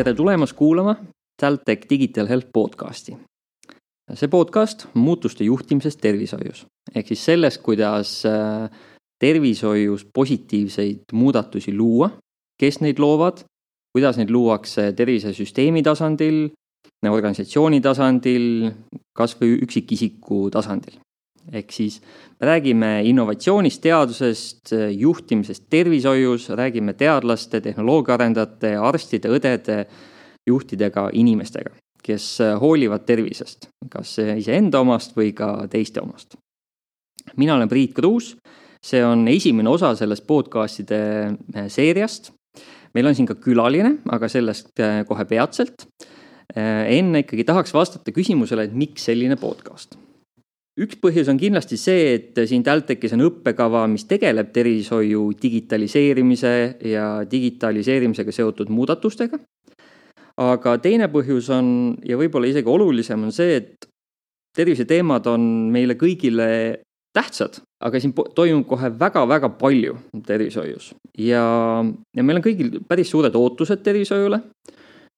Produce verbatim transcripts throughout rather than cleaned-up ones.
tere tulemast kuulama TalTech Digital Health podcasti. See podcast on muutuste juhtimisest tervishoius. Ehk siis sellest, kuidas tervishoius positiivseid muudatusi luua, kes neid loovad, kuidas neid luuakse tervisesüsteemi tasandil, organisatsiooni tasandil, kas või üksikisiku tasandil. Ehk siis me räägime innovatsioonist, teadusest, juhtimisest tervishoius, räägime teadlaste, tehnoloogiaarendajate, arstide, õdede, juhtidega, inimestega, kes hoolivad tervisest, kas iseenda omast või ka teiste omast. Mina olen Priit Kruus, see on esimene osa sellest podcastide seeriast. Meil on siin ka külaline, aga sellest kohe peatselt. Enne ikkagi tahaks vastata küsimusele, et miks selline podcast. Üks põhjus on kindlasti see, et siin TalTechis on õppekava, mis tegeleb tervishoiu digitaliseerimise ja digitaliseerimisega seotud muudatustega. Aga teine põhjus on, ja võib-olla isegi olulisem on see, et tervise teemad on meile kõigile tähtsad, aga siin toimub kohe väga-väga palju tervishoius. Ja, ja meil on kõigil päris suured ootused tervishoiule.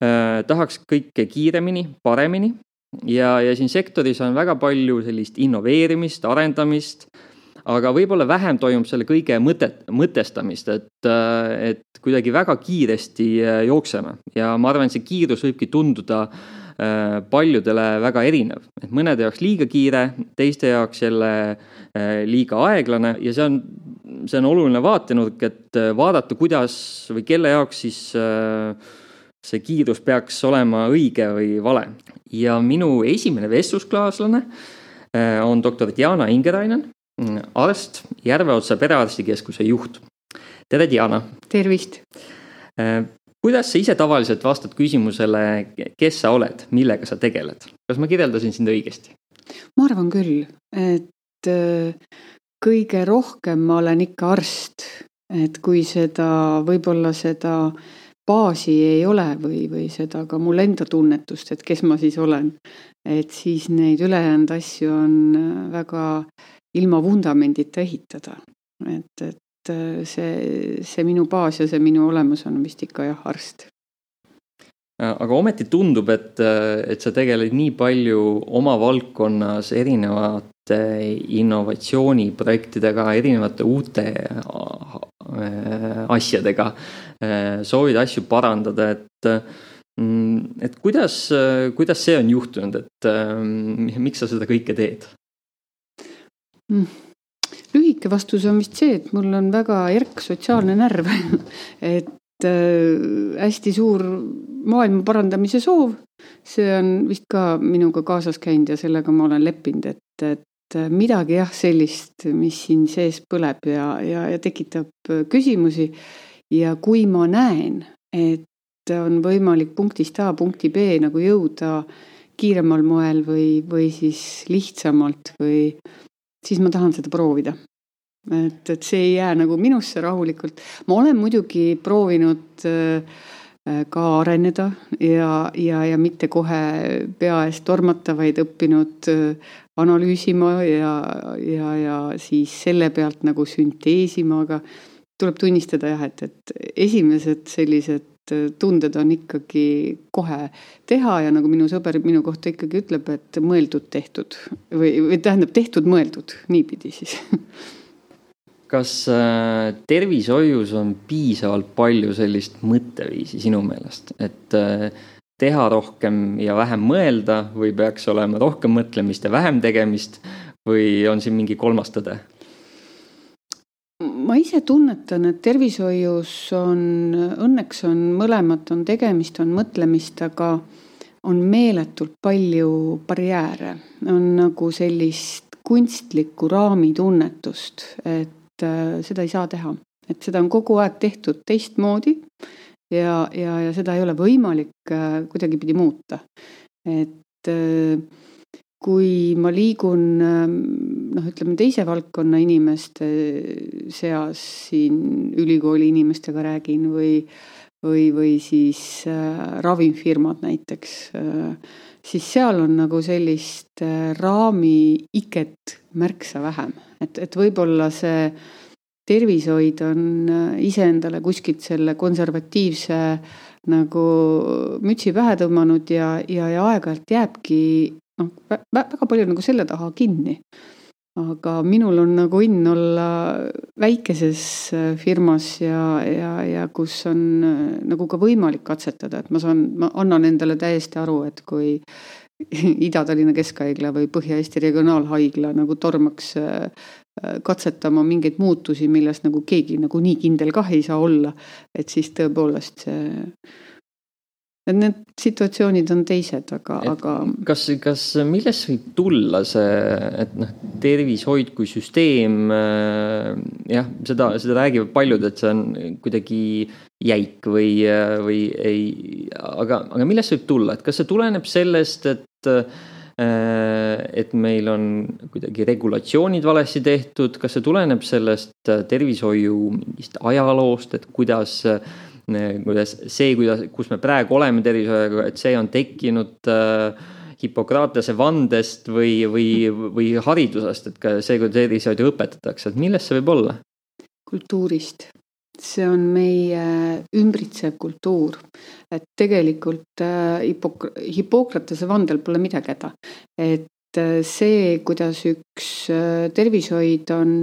Eh, tahaks kõike kiiremini, paremini. Ja, ja siin sektoris on väga palju sellist innoveerimist, arendamist, aga võib-olla vähem toimub selle kõige mõtet, mõtestamist, et, et kuidagi väga kiiresti jookseme. Ja ma arvan, et see kiirus võibki tunduda paljudele väga erinev. Et mõnede jaoks liiga kiire, teiste jaoks jälle liiga aeglane ja see on, see on oluline vaatenurk, et vaadata, kuidas või kelle jaoks siis see kiirus peaks olema õige või vale. Ja minu esimene vestlusklaaslane on doktor Diana Ingerainen, arst, Järveotsa perearstikeskuse juht. Tere, Diana! Tervist! Kuidas sa ise tavaliselt vastad küsimusele, kes sa oled, millega sa tegeled? Kas ma kirjeldasin sind õigesti? Ma arvan küll, et kõige rohkem ma olen ikka arst, et kui seda, võib-olla seda baasi ei ole või, või seda ka mul enda tunnetust, et kes ma siis olen. Et siis neid ülejäänud asju on väga ilma vundamendita ehitada. Et, et see, see minu baas ja see minu olemus on vist ikka jah arst. Aga ometi tundub, et, et sa tegeled nii palju oma valdkonnas erinevate innovatsiooniprojektidega, erinevate uute asjadega, soovid asju parandada, et, et kuidas, kuidas see on juhtunud, et miks sa seda kõike teed? Lühike vastus on vist see, et mul on väga järk sotsiaalne närv, et hästi suur maailma parandamise soov, see on vist ka minuga kaasas käinud ja sellega ma olen leppinud, et, et midagi jah sellist, mis siin sees põleb ja, ja, ja tekitab küsimusi ja kui ma näen, et on võimalik punktist A punkti B nagu jõuda kiiremal moel või, või siis lihtsamalt või siis ma tahan seda proovida. Et, et see ei jää nagu minusse rahulikult. Ma olen muidugi proovinud ka areneda ja, ja, ja mitte kohe pea eest tormata, vaid õppinud analüüsima ja, ja, ja siis selle pealt nagu sünteesima, aga tuleb tunnistada jah, et, et esimesed sellised tunded on ikkagi kohe teha ja nagu minu sõber minu kohta ikkagi ütleb, et mõeldud tehtud või, või tähendab tehtud mõeldud, niipidi siis. Kas tervishoius on piisavalt palju sellist mõtteviisi sinu meelest, et teha rohkem ja vähem mõelda või peaks olema rohkem mõtlemist ja vähem tegemist või on siin mingi kolmas tõde? Ma ise tunnetan, et tervishoius on, õnneks on mõlemat, on tegemist, on mõtlemist, aga on meeletult palju barjääre. On nagu sellist kunstlikku raamitunnetust, et seda ei saa teha. Et seda on kogu aeg tehtud teistmoodi ja, ja, ja seda ei ole võimalik kuidagipidi muuta. Et kui ma liigun, noh, ütleme teise valdkonna inimeste seas siin ülikooli inimestega räägin või, või, või siis ravimfirmad näiteks, siis seal on nagu sellist raami iket märksa vähem. Et, et võib-olla see tervishoid on iseendale kuskilt selle konservatiivse nagu mütsi pähe tõmmanud ja, ja, ja aeg-ajalt jääbki no, väga palju nagu selle taha kinni. Aga minul on nagu õnn olla väikeses firmas ja, ja, ja kus on nagu ka võimalik katsetada, et ma saan, ma annan endale täiesti aru, et kui Ida-Tallinna Keskhaigla või Põhja-Eesti Regionaalhaigla nagu tormaks katsetama mingeid muutusi, milles nagu keegi nagu nii kindel kah ei saa olla, et siis tõepoolest see et need situatsioonid on teised, aga, aga... Kas, kas milles võib tulla see, et noh, tervishoid kui süsteem, jah, seda, seda räägivad paljud, et see on kuidagi jäik või, või ei, aga, aga milles võib tulla, et kas see tuleneb sellest, et, et meil on kuidagi regulatsioonid valesti tehtud, kas see tuleneb sellest tervishoiu mingist ajaloost, et kuidas kuidas see, kuidas, kus me praegu oleme tervishoiaga, et see on tekkinud äh, Hippokratese vandest või, või, või haridusest, et ka see, kui tervishoidu õpetatakse, et millest see võib olla? Kultuurist. See on meie ümbritsev kultuur, et tegelikult äh, Hippok- Hippokratese vandel pole midagi häda, et see, kuidas üks tervishoid on,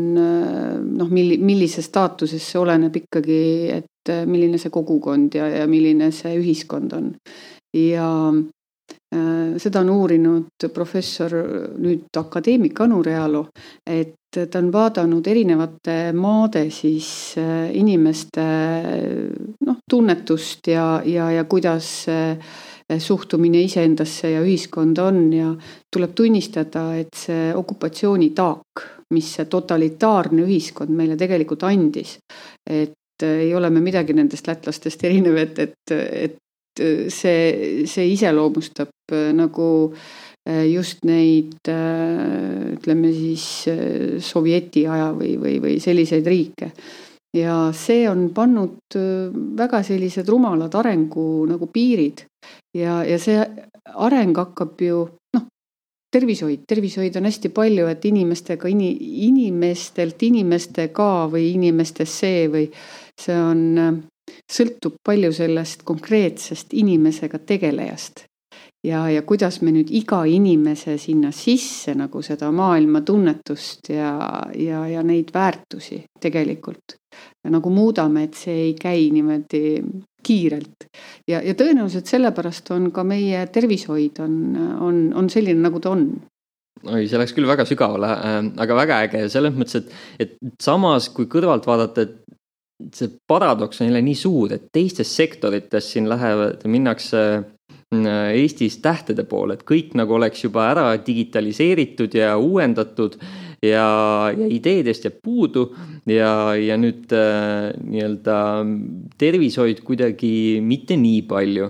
noh, millise staatuses see oleneb ikkagi, et milline see kogukond ja, ja milline see ühiskond on. Ja äh, seda on uurinud professor, nüüd akadeemik Anu Realo, et ta on vaadanud erinevate maade siis äh, inimeste noh, tunnetust ja, ja, ja kuidas äh, suhtumine iseendasse ja ühiskonda on ja tuleb tunnistada, et see okupatsioonitaak, mis see totalitaarne ühiskond meile tegelikult andis, et ei ole me midagi nendest lätlastest erinev, et, et, et see, see iseloomustab nagu just neid, ütleme siis sovjeti aja või, või, või selliseid riike. Ja see on pannud väga sellised rumalad arengu nagu piirid ja, ja see areng hakkab ju, noh, tervishoid, tervishoid on hästi palju, et inimestega, inimestelt inimestega või inimestes see või see on, sõltub palju sellest konkreetsest inimesega tegelejast. Ja, ja kuidas me nüüd iga inimese sinna sisse nagu seda maailma tunnetust ja, ja, ja neid väärtusi tegelikult ja nagu muudame, et see ei käi niimoodi kiirelt. Ja, ja tõenäoliselt sellepärast on ka meie tervishoid on, on, on selline, nagu ta on. Oi, see läks küll väga sügavale, aga väga äge. Selles mõttes, et, et samas kui kõrvalt vaadata, et see paradoks on jälle nii suur, et teistes sektorites siin lähevad, minnakse Eestis tähtede poole, et kõik nagu oleks juba ära digitaliseeritud ja uuendatud ja, ja ideedest jääb puudu ja, ja nüüd äh, nii-öelda tervishoid kuidagi mitte nii palju.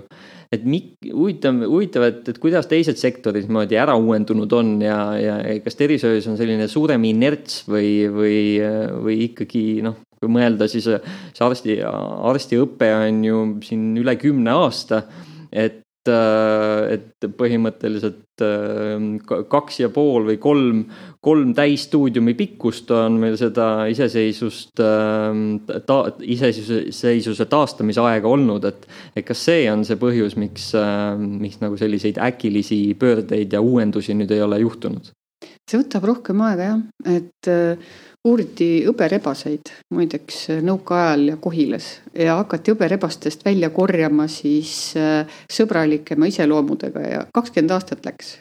Et mik, huvitav, huvitav et, et kuidas teised sektorid moodi ära uuendunud on ja, ja kas tervishoius on selline suurem inerts või, või, või ikkagi, noh, kui mõelda, siis see arsti, arstiõpe on ju siin üle kümne aasta, et et põhimõtteliselt kaks ja pool või kolm, kolm täisstuudiumi pikkust on meil seda iseseisvust, ta, iseseisvuse taastamise aega olnud, et, et kas see on see põhjus, miks, miks nagu selliseid äkilisi pöördeid ja uuendusi nüüd ei ole juhtunud? See võtab rohkem aega, jah, et uuriti hõberebaseid muideks nõukaajal ja Kohilas ja hakati hõberebastest välja korjama siis sõbralikema iseloomudega ja kakskümmend aastat läks.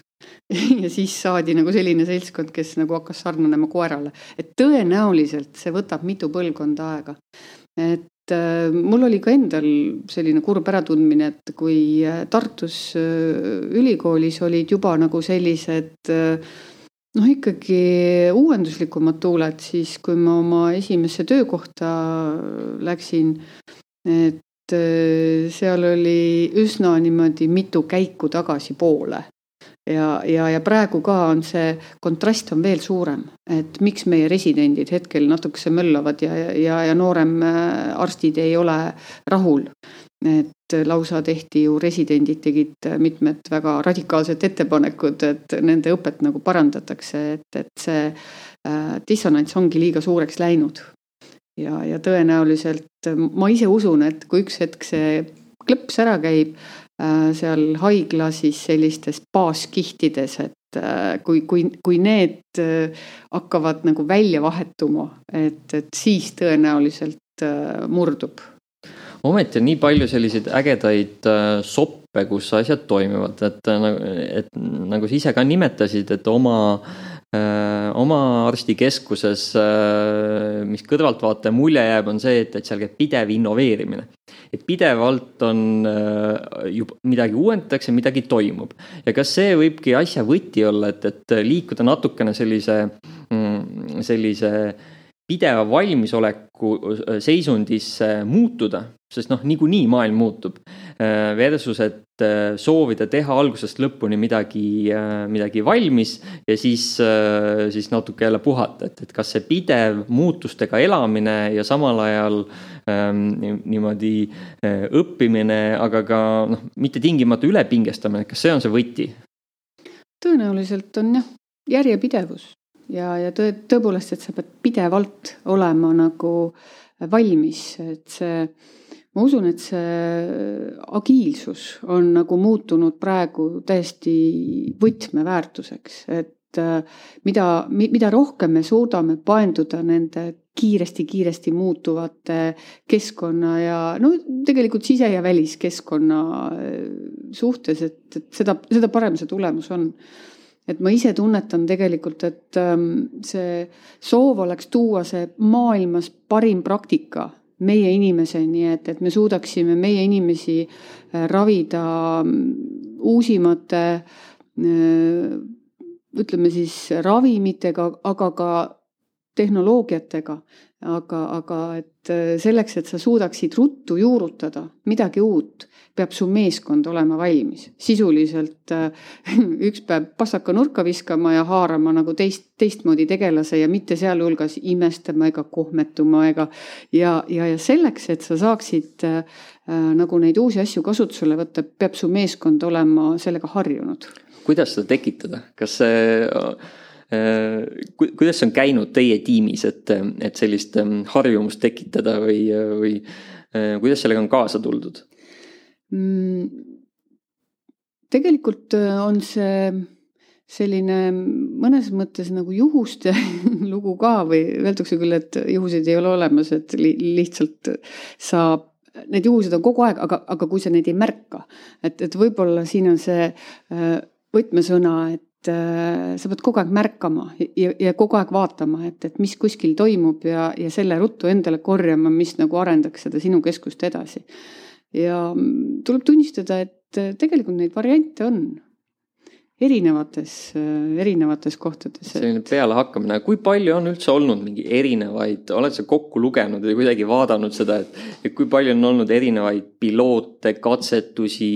Ja siis saadi nagu selline seltskond, kes nagu hakkas sarnanema koerale. Et tõenäoliselt see võtab mitu põlvkonda aega. Et mul oli ka endal selline kurb äratundmine, et kui Tartus ülikoolis olid juba nagu sellised noh, ikkagi uuenduslikumad tuuled, siis kui ma oma esimesse töökohta läksin, et seal oli üsna niimoodi mitu käiku tagasi poole. Ja, ja, ja praegu ka on see kontrast on veel suurem, et miks meie residendid hetkel natukese möllavad ja, ja, ja noorem arstid ei ole rahul. Et lausa tehti ju residendid tegid mitmed väga radikaalsed ettepanekud, et nende õpet nagu parandatakse, et, et see äh, dissonants ongi liiga suureks läinud. Ja, ja tõenäoliselt ma ise usun, et kui üks hetk see klõps ära käib seal haigla siis sellistes baaskihtides, et kui, kui, kui need hakkavad nagu välja vahetuma, et, et siis tõenäoliselt murdub. Ometi on nii palju selliseid ägedaid soppe, kus asjad toimivad, et, et nagu sa ise ka nimetasid, et oma oma arstikeskuses, mis kõrvaltvaataja mulje jääb, on see, et, et seal käib pidev innoveerimine. Et pidevalt on juba midagi uuendatakse, midagi toimub. Ja kas see võibki asja võti olla, et, et liikuda natukene sellise, sellise pideva valmisoleku seisundisse muutuda, sest noh, niikuinii maailm muutub, versus, et soovida teha algusest lõpuni midagi, midagi valmis ja siis, siis natuke jälle puhata, et, et kas see pidev muutustega elamine ja samal ajal ähm, niimoodi õppimine, aga ka noh, mitte tingimata ülepingestamine, kas see on see võti? Tõenäoliselt on jah, järjepidevus ja, ja tõ, tõepoolest, et sa pead pidevalt olema nagu valmis, et see ma usun, et see agiilsus on nagu muutunud praegu täiesti võtmeväärtuseks, et mida, mida rohkem me suudame paenduda nende kiiresti-kiiresti muutuvate keskkonna ja no tegelikult sise- ja väliskeskkonna suhtes, et, et seda, seda parem see tulemus on. Et ma ise tunnetan tegelikult, et see soov oleks tuua see maailmas parim praktika meie inimeseni, et, et me suudaksime meie inimesi ravida uusimate, ütleme siis ravimitega, aga ka tehnoloogiatega, aga, aga et selleks, et sa suudaksid ruttu juurutada midagi uut, peab su meeskond olema valmis. Sisuliselt üks päev passaka nurka viskama ja haarama nagu teist, teistmoodi tegelase ja mitte sealhulgas imestama ega kohmetuma ega ja, ja, ja selleks, et sa saaksid äh, nagu neid uusi asju kasutusele võtta, peab su meeskond olema sellega harjunud. Kuidas seda tekitada? Kas see äh, kuidas see on käinud teie tiimis, et, et sellist harjumust tekitada või, või äh, kuidas sellega on kaasa tuldud? Tegelikult on see selline mõnes mõttes nagu juhuste lugu ka või öeldakse küll, et juhuseid ei ole olemas, et lihtsalt saab, need juhused on kogu aeg, aga, aga kui sa neid ei märka, et, et võib-olla siin on see võtmesõna, et sa pead kogu aeg märkama ja, ja kogu aeg vaatama, et, et mis kuskil toimub ja, ja selle ruttu endale korjama, mis nagu arendaks seda sinu keskust edasi. Ja tuleb tunnistada, et tegelikult neid variante on erinevates, erinevates kohtades. Selline peale hakkamine. Kui palju on üldse olnud mingi erinevaid, oled sa kokku lugenud või kuidagi vaadanud seda, et, et kui palju on olnud erinevaid piloote, katsetusi,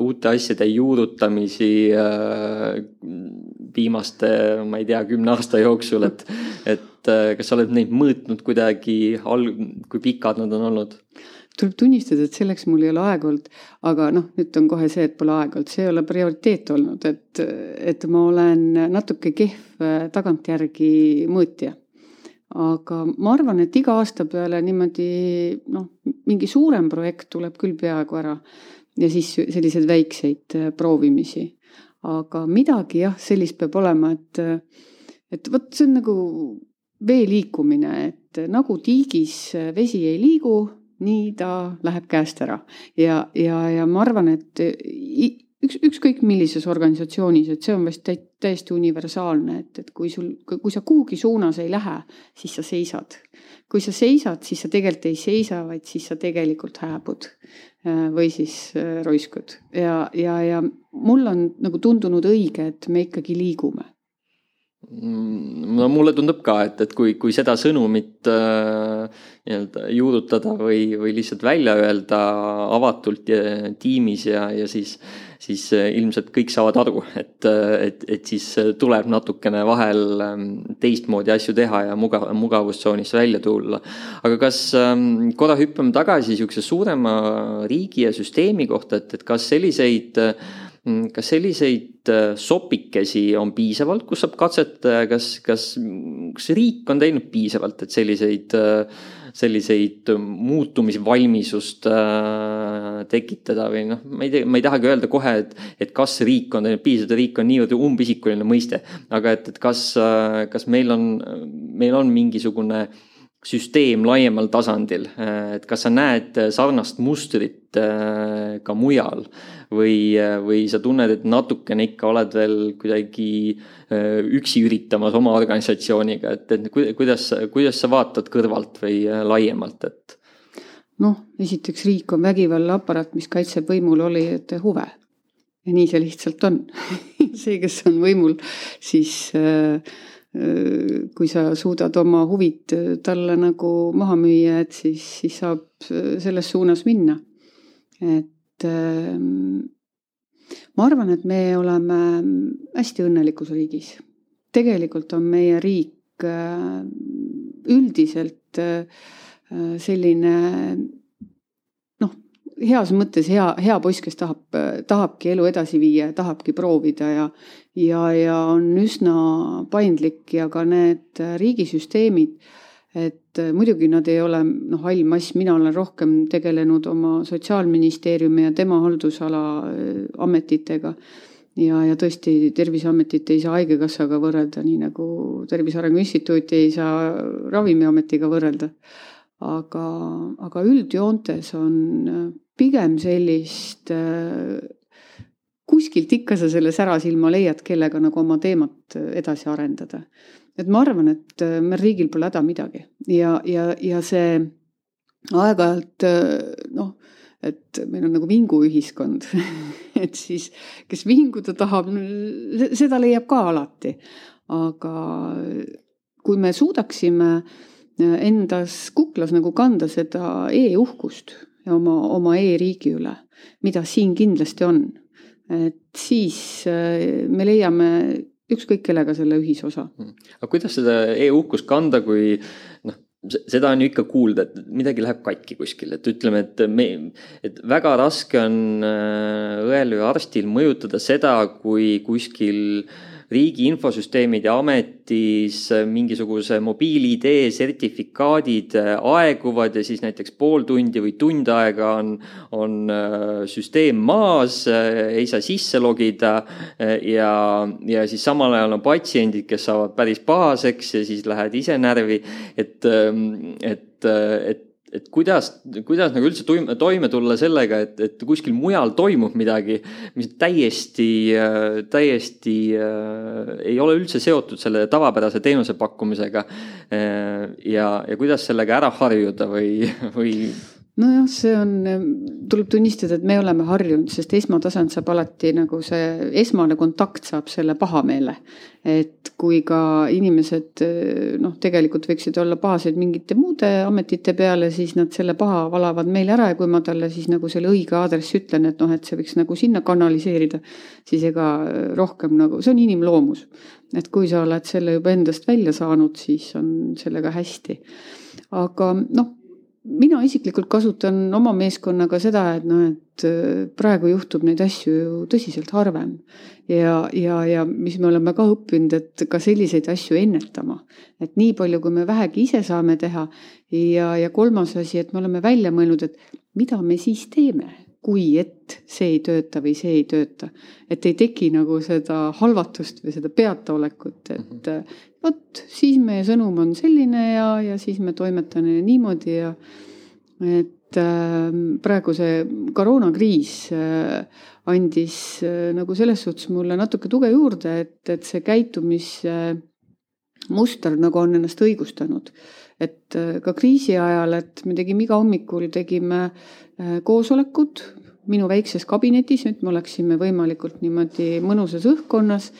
uute asjade juurutamisi viimaste, ma ei tea, kümne aasta jooksul, et, et kas sa oled neid mõõtnud kuidagi, kui pikad nad on olnud? Tuleb tunnistada, et selleks mul ei ole aeg olnud, aga noh, nüüd on kohe see, et pole aeg olnud. See ei ole prioriteet olnud, et, et ma olen natuke kehv tagantjärgi mõõtja. Aga ma arvan, et iga aasta peale niimoodi, noh, mingi suurem projekt tuleb küll peaaegu ära ja siis sellised väikseid proovimisi. Aga midagi jah, sellist peab olema, et, et võt, see on nagu vee liikumine, et nagu tiigis vesi ei liigu, nii ta läheb käest ära. Ja, ja, ja ma arvan, et üks, ükskõik millises organisatsioonis, et see on vast täiesti universaalne, et, et kui, sul, kui sa kuhugi suunas ei lähe, siis sa seisad. Kui sa seisad, siis sa tegelikult ei seisa, vaid siis sa tegelikult hääbud või siis roiskud. Ja, ja, ja mul on nagu tundunud õige, et me ikkagi liigume. No mulle tundub ka, et, et kui, kui seda sõnumit äh, juurutada või, või lihtsalt välja öelda avatult ja, tiimis ja, ja siis, siis ilmselt kõik saavad aru, et, et, et siis tuleb natukene vahel teistmoodi asju teha ja mugav, mugavustsoonist välja tulla. Aga kas ähm, korra hüppame tagasi niisuguse suurema riigi ja süsteemi kohta, et, et kas selliseid Kas selliseid sopikesi on piisavalt, kus saab katsetada, kas, kas, kas riik on teinud piisavalt, et selliseid, selliseid muutumisvalmisust tekitada või noh, ma ei tea, ma ei tahagi öelda kohe, et, et kas riik on, piisavalt riik on niivõrd umbisikuline mõiste, aga et, et kas, kas meil on, meil on mingisugune süsteem laiemal tasandil, et kas sa näed sarnast mustrit ka mujal või, või sa tunned, et natukene ikka oled veel kuidagi üksi üritamas oma organisatsiooniga, et, et kuidas, kuidas sa vaatad kõrvalt või laiemalt, et noh, esiteks riik on vägivallaaparaat, mis kaitseb võimul olijate huve. Ja nii see lihtsalt on. See, kes on võimul, siis kui sa suudad oma huvid talle nagu maha müüa, et siis, siis saab selles suunas minna. Et ma arvan, et me oleme hästi õnnelikus riigis. Tegelikult on meie riik üldiselt selline noh, heas mõttes hea, hea poiss, kes tahab, tahabki elu edasi viia ja tahabki proovida ja, ja, ja on üsna paindlik ja ka need riigisüsteemid, et muidugi nad ei ole noh, hall mass, mina olen rohkem tegelenud oma sotsiaalministeeriumi ja tema haldusala ametitega ja, ja tõesti Terviseametit ei saa haigekassaga võrrelda, nii nagu Tervise Arengu Instituuti ei saa Ravimiametiga võrrelda. Aga, aga üldjoontes on pigem sellist, kuskilt ikka sa selle särasilma leiad, kellega nagu oma teemat edasi arendada. Et ma arvan, et meil riigil pole häda midagi ja, ja, ja see aeg-ajalt noh, et meil on nagu vinguühiskond, et siis kes vinguda tahab, seda leiab ka alati. Aga kui me suudaksime endas kuklas nagu kanda seda e-uhkust ja oma, oma e-riigi üle, mida siin kindlasti on. Et siis me leiame ükskõik kellega selle ühisosa. Aga kuidas seda e-uhkust kanda, kui noh, seda on ju ikka kuulda, et midagi läheb katki kuskil, et ütleme, et, me, et väga raske on õel või arstil mõjutada seda, kui kuskil riigi infosüsteemid ja ametis mingisuguse mobiil-idee sertifikaadid aeguvad ja siis näiteks pool tundi või tund aega on, on süsteem maas, ei saa sisse logida ja, ja siis samal ajal on patsiendid, kes saavad päris pahaseks ja siis lähed ise närvi, et, et, et et kuidas, kuidas nagu üldse toime, toime tulla sellega, et, et kuskil mujal toimub midagi, mis täiesti, täiesti äh, ei ole üldse seotud selle tavapärase teenuse pakkumisega äh, ja, ja kuidas sellega ära harjuda või, või nojah, see on, tuleb tunnistada, et me oleme harjunud, sest esmatasand saab alati nagu see esmane kontakt saab selle pahameele. Et kui ka inimesed noh, tegelikult võiksid olla pahased mingite muude ametite peale, siis nad selle paha valavad meil ära ja kui ma talle siis nagu selle õige aadress ütlen, et noh, et see võiks nagu sinna kanaliseerida, siis ega rohkem nagu, see on inimloomus. Et kui sa oled selle juba endast välja saanud, siis on sellega hästi. Aga noh, mina isiklikult kasutan oma meeskonnaga seda, et, no, et praegu juhtub neid asju ju tõsiselt harvem. Ja, ja, ja mis me oleme ka õppinud, et ka selliseid asju ennetama. Et nii palju, kui me vähegi ise saame teha. Ja, ja kolmas asi, et me oleme välja mõelnud, et mida me siis teeme, kui et see ei tööta või see ei tööta. Et ei teki nagu seda halvatust või seda peataolekut, et võt, siis meie sõnum on selline ja, ja siis me toimetame niimoodi ja et äh, praegu see koroonakriis äh, andis äh, nagu selles suhtes mulle natuke tuge juurde, et, et see käitumismuster äh, nagu on ennast õigustanud. Et äh, ka kriisi ajal, et me tegime iga hommikul, tegime äh, koosolekud minu väikses kabinetis, nüüd me oleksime võimalikult niimoodi mõnusas õhkkonnas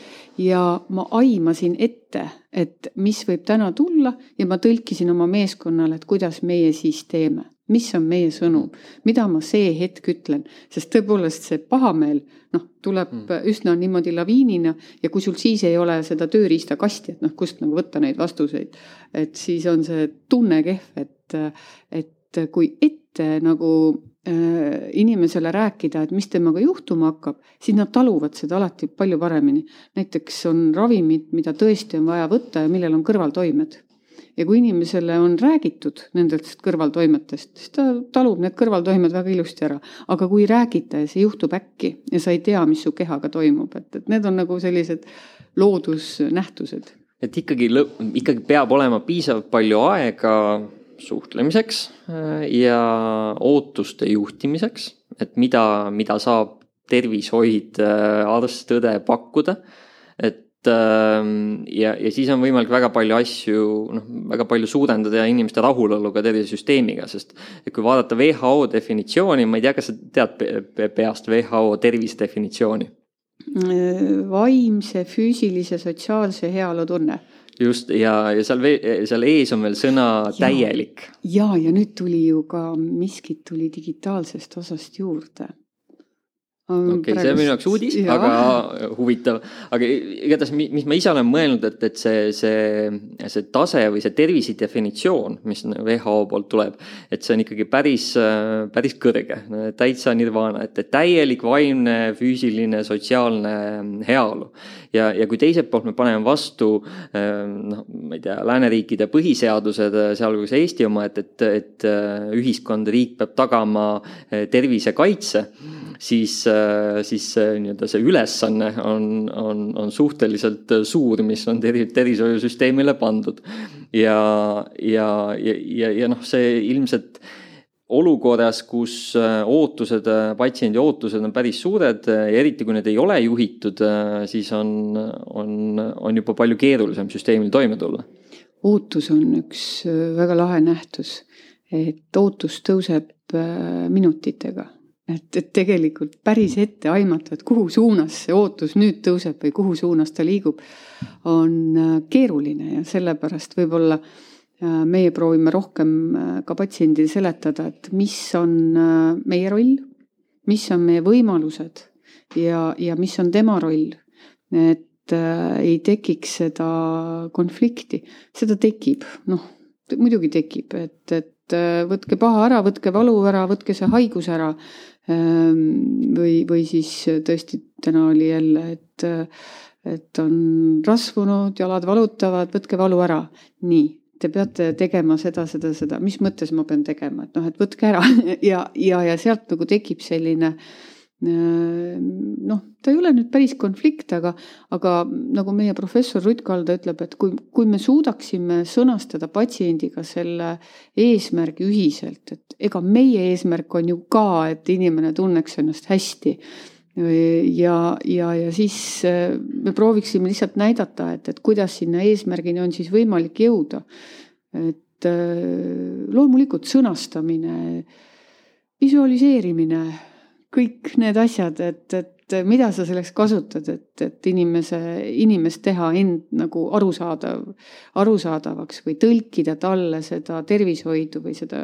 ja ma aimasin ette, et mis võib täna tulla ja ma tõlkisin oma meeskonnale, et kuidas meie siis teeme, mis on meie sõnum, mida ma see hetk ütlen, sest tõepoolest see pahameel noh, tuleb mm. üsna niimoodi laviinina ja kui sul siis ei ole seda tööriista kasti, et noh, kust nagu võtta neid vastuseid, et siis on see tunne kehv, et, et kui ette nagu inimesele rääkida, et mis temaga juhtuma hakkab, siis nad taluvad seda alati palju paremini. Näiteks on ravimid, mida tõesti on vaja võtta ja millel on kõrvaltoimed. ja kui inimesele on räägitud nendest kõrvaltoimetest, siis ta talub need kõrvaltoimed väga ilusti ära. Aga kui räägita ja see juhtub äkki ja sa ei tea, mis su kehaga toimub, et, et need on nagu sellised loodusnähtused. Et ikkagi, ikkagi peab olema piisavalt palju aega suhtlemiseks ja ootuste juhtimiseks, et mida, mida saab tervishoid, arst, õde pakkuda. Et ja, ja siis on võimalik väga palju asju, noh, väga palju suurendada inimeste rahulolu ka tervisesüsteemiga, sest et kui vaadata W H O definitsiooni, ma ei tea, kas sa tead peast W H O tervisedefinitsiooni? Vaimse, füüsilise, sotsiaalse heaolu tunne. Just, ja, ja seal, seal ees on veel sõna ja, täielik. Ja, ja nüüd tuli ju ka miskit tuli digitaalsest osast juurde. Okei, okay, see on minu jaoks uudis, ja. Aga huvitav. Aga igatahes, mis ma ise olen mõelnud, et, et see, see, see tase või see tervisi definitsioon, mis W H O poolt tuleb, et see on ikkagi päris, päris kõrge, täitsa nirvana, et täielik vaimne, füüsiline, sotsiaalne heaolu. Ja, ja kui teiselt poolt me paneme vastu, noh, ma ei tea, lääneriikide põhiseadused, sealhulgas Eesti oma, et, et, et ühiskond, riik peab tagama tervise kaitse, siis, siis nii-öelda see ülesanne on, on, on suhteliselt suur, mis on ter- tervishoiusüsteemile pandud. Ja, ja, ja, ja, ja noh, see ilmselt olukorras, kus ootused, patsiendi ootused on päris suured ja eriti kui need ei ole juhitud, siis on, on, on juba palju keerulisem süsteemil toime tulla. Ootus on üks väga lahe nähtus, et ootus tõuseb minutitega. Et, et tegelikult päris ette aimata, et kuhu suunas see ootus nüüd tõuseb või kuhu suunas ta liigub, on keeruline ja sellepärast võib-olla meie proovime rohkem ka patsiendil seletada, et mis on meie roll, mis on meie võimalused ja, ja mis on tema roll, et ei tekiks seda konflikti. Seda tekib, noh, muidugi tekib, et, et võtke paha ära, võtke valu ära, võtke see haigus ära või, või siis tõesti täna oli jälle, et, et on rasvunud, jalad valutavad, võtke valu ära. Nii. Te peate tegema seda, seda, seda. Mis mõttes ma pean tegema? Et noh, et võtke ära. ja, ja, ja sealt nagu tekib selline, noh, ta ei ole nüüd päris konflikt, aga, aga nagu meie professor Rutt Kalda ütleb, et kui, kui me suudaksime sõnastada patsiendiga selle eesmärgi ühiselt, et ega meie eesmärk on ju ka, et inimene tunneks ennast hästi. Ja, ja, ja siis me prooviksime lihtsalt näidata, et, et kuidas sinna eesmärgini on siis võimalik jõuda. Et loomulikult sõnastamine, visualiseerimine, kõik need asjad, et, et mida sa selleks kasutad, et, et inimese, inimest teha end nagu arusaadav, arusaadavaks või tõlkida talle seda tervishoidu või seda